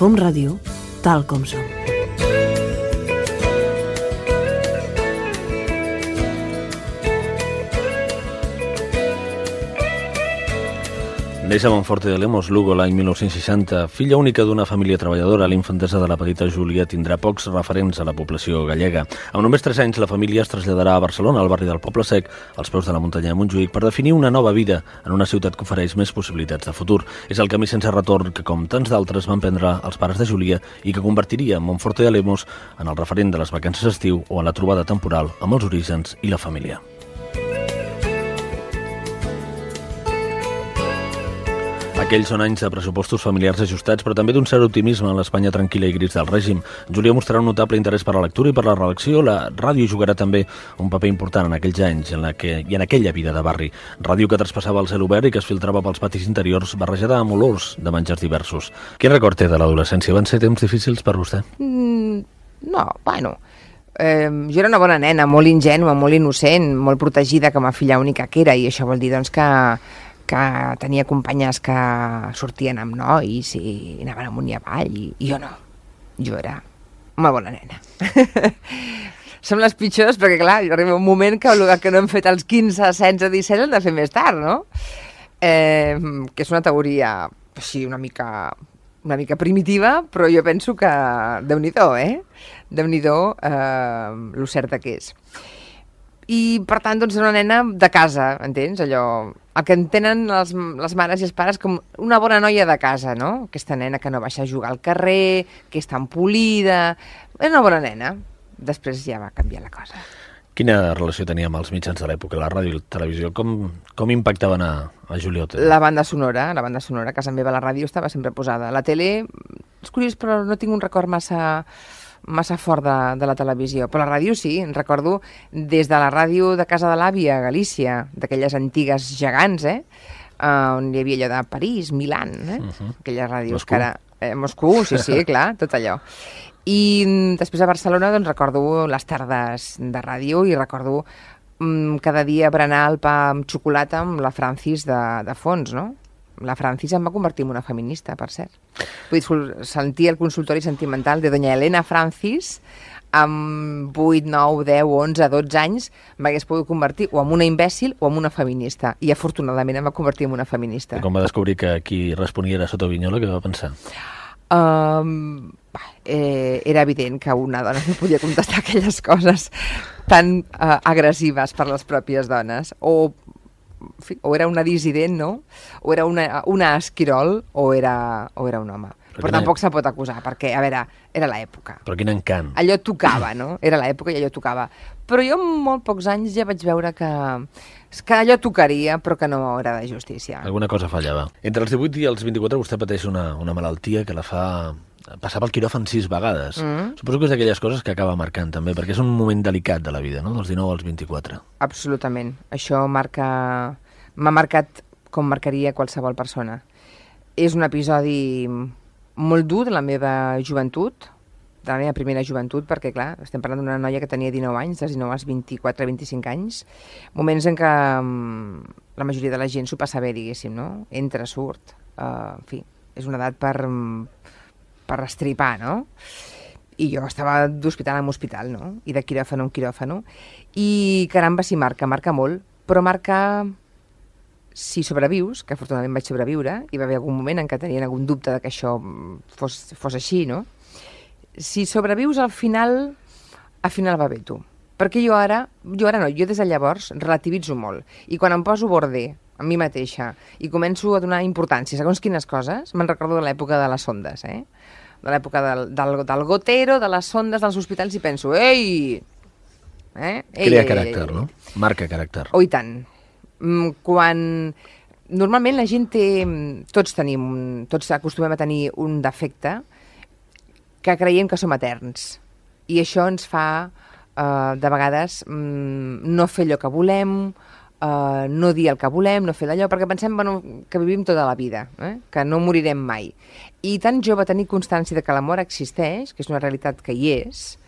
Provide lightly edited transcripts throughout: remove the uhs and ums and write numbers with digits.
Com Ràdio, tal com som. Neix a Monforte de Lemos, Lugo, l'any 1960. Filla única d'una família treballadora, l'infantesa de la petita Júlia tindrà pocs referents a la població gallega. Amb només 3 anys, la família es traslladarà a Barcelona, al barri del Poble Sec, als peus de la muntanya de Montjuïc, per definir una nova vida en una ciutat que ofereix més possibilitats de futur. És el camí sense retorn que, com tants d'altres, van prendre els pares de Júlia i que convertiria Monforte de Lemos en el referent de les vacances d'estiu o en la trobada temporal amb els orígens i la família. Aquells són anys de pressupostos familiars ajustats, però també d'un cert optimisme en l'Espanya tranquil·la i gris del règim. Júlia mostrarà un notable interès per la lectura i per la redacció. La ràdio jugarà també un paper important en aquells anys i en aquella vida de barri. Ràdio que traspassava el cel obert i que es filtrava pels patis interiors barrejada amb olors de menjars diversos. Quin record té de l'adolescència? Van ser temps difícils per vostè? No, bueno... jo era una bona nena, molt ingènua, molt innocent, molt protegida com a filla única que era, i això vol dir doncs, que tenia companyes que sortien amb nois i anaven amunt i avall, i jo no. Jo era una bona nena. Som les pitjors perquè, clar, arriba un moment que el que no hem fet als 15, 16, 17 hem de fer més tard, no? Que és una teoria així una mica primitiva, però jo penso que Déu-n'hi-do, Déu-n'hi-do lo certa que és. I, per tant, doncs, era una nena de casa, entens? Allò, el que entenen les mares i els pares com una bona noia de casa, no? Aquesta nena que no baixa a jugar al carrer, que és tan polida... Era una bona nena. Després ja va canviar la cosa. Quina relació tenia amb els mitjans de l'època, la ràdio i la televisió? Com impactaven a Júlia Otero? La banda sonora, a casa meva la ràdio estava sempre posada. La tele, és curiós, però no tinc un record massa fort de la televisió, però la ràdio sí, recordo des de la ràdio de casa de l'àvia a Galícia, d'aquelles antigues gegants, on hi havia allò de París, Milán, aquelles ràdios Moscou. que ara... Moscou, sí, clar, tot allò. I després a Barcelona doncs recordo les tardes de ràdio i recordo cada dia berenar el pa amb xocolata amb la Francis de fons, no? La Francis em va convertir en una feminista, per cert. Vull dir, sentir el consultori sentimental de doña Elena Francis amb 8, 9, 10, 11, 12 anys m'hagués pogut convertir o en una imbècil o en una feminista. I afortunadament em va convertir en una feminista. I com va descobrir que qui responia era Soto Vignola, què va pensar? Era evident que una dona no podia contestar aquelles coses tan agressives per les pròpies dones. O era una dissident, no? O era una esquirol o era un home. Però tampoc se pot acusar, perquè, a veure, era l'època. Però quin encant. Allò tocava, no? Era l'època i allò tocava. Però jo en molt pocs anys ja vaig veure que allò tocaria, però que no era de justícia. Alguna cosa fallava. Entre els 18 i els 24 vostè pateix una malaltia que la fa passar pel quiròfan 6 vegades. Suposo que és d'aquelles coses que acaba marcant també, perquè és un moment delicat de la vida, no? Dels 19 als 24. Absolutament. Això m'ha marcat com marcaria qualsevol persona. És un episodi molt dur de la meva joventut, de la meva primera joventut, perquè, clar, estem parlant d'una noia que tenia 19 anys, dels 19 als 24-25 anys, moments en què la majoria de la gent s'ho passa bé, diguéssim, no? Entra, surt, en fi, és una edat per estripar, no? I jo estava d'hospital en hospital, no? I de quiròfano en quiròfano, i caramba, sí, marca molt, però marca... Si sobrevius, que afortunadament vaig sobreviure, hi va haver algun moment en què tenien algun dubte de que això fos així, no? Si sobrevius al final va bé tu. Perquè jo des de llavors relativitzo molt. I quan em poso border amb mi mateixa i començo a donar importància segons quines coses, me'n recordo de l'època de les sondes, de l'època del gotero, de les sondes dels hospitals, i penso, ei! Crea caràcter, no? Marca caràcter. Oh, i tant. Quan normalment la gent tots acostumem a tenir un defecte que creiem que som eterns, i això ens fa de vegades no fer allò que volem, no dir el que volem, no fer d'allò, perquè pensem que vivim tota la vida, que no morirem mai. I tan jove tenir constància de que la mort existeix, que és una realitat que hi és,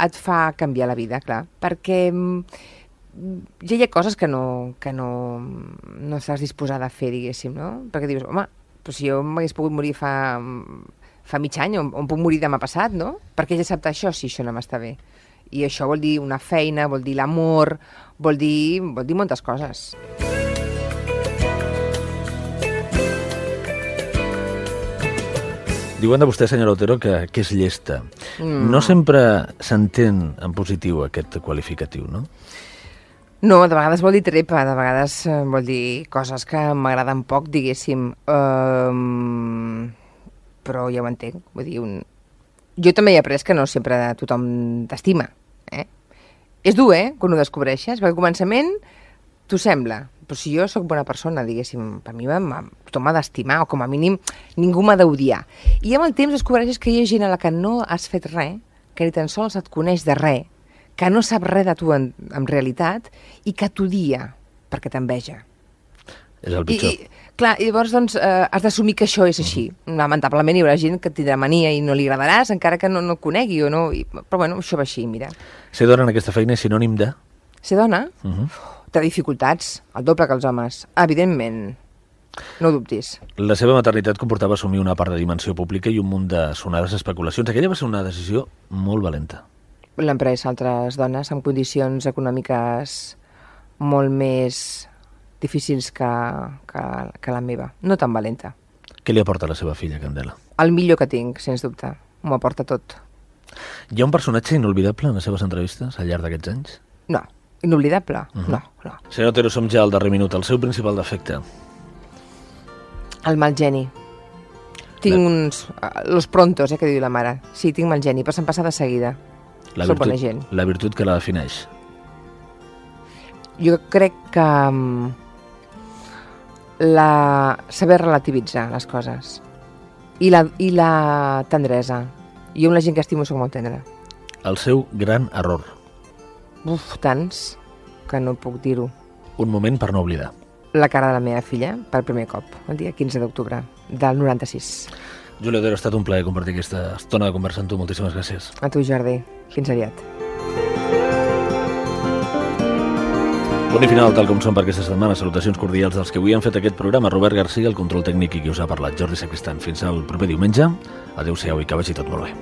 et fa canviar la vida, clar, perquè ja hi ha coses que no estàs disposada a fer, diguéssim, no? Perquè dius, home, però si jo m'hagués pogut morir fa fa mig any, on puc morir demà passat, no? Per què he d'acceptar això si això no m'està bé? I això vol dir una feina, vol dir l'amor, vol dir moltes coses. Diuen de vostè, senyora Otero, que és llesta. No sempre s'entén en positiu aquest qualificatiu, no? No, de vegades vol dir trepa, de vegades vol dir coses que m'agraden poc, diguéssim. Però ja ho entenc. Vull dir, jo també he après que no sempre tothom t'estima. És dur, quan ho descobreixes, perquè al començament t'ho sembla. Però si jo sóc bona persona, diguéssim, per mi tothom m'ha d'estimar, o com a mínim ningú m'ha d'odiar. I amb el temps descobreixes que hi ha gent a la que no has fet res, que ni tan sols et coneix de res, que no sap res de tu en realitat i que t'odia perquè t'enveja. És el pitjor. Clar, i llavors doncs, has d'assumir que això és així. Lamentablement hi haurà gent que et tindrà mania i no li agradaràs, encara que no et conegui o no. Però bueno, això va així, mira. Ser dona en aquesta feina és sinònim de? Ser dona? Té dificultats, el doble que els homes. Evidentment, no ho dubtis. La seva maternitat comportava assumir una part de dimensió pública i un munt de sonades especulacions. Aquella va ser una decisió molt valenta. L'han pres altres dones amb condicions econòmiques molt més difícils que la meva. No tan valenta. Què li aporta la seva filla, Candela? El millor que tinc, sens dubte. M'ho aporta tot. Hi ha un personatge inolvidable en les seves entrevistes al llarg d'aquests anys? No. Inolvidable? No. Senyor Otero, som ja al darrer minut. El seu principal defecte? El mal geni. Tinc los prontos, que diu la mare. Sí, tinc mal geni, però se'm passa de seguida. Soc bona gent. La virtut que la defineix? Jo crec que saber relativitzar les coses i la tendresa. Jo amb la gent que estimo soc molt tendra. El seu gran error? Tants que no puc dir-ho. Un moment per no oblidar. La cara de la meva filla per primer cop, el dia 15 d'octubre del 96. Júlia Otero, ha estat un plaer compartir aquesta estona de conversa amb tu. Moltíssimes gràcies. A tu, Jordi. Fins aviat. Punt i final, tal com són per aquesta setmana. Salutacions cordials dels que avui han fet aquest programa. Robert Garcia, el control tècnic i qui us ha parlat, Jordi Sacristan. Fins al proper diumenge. Adéu-siau i que vagi tot molt bé.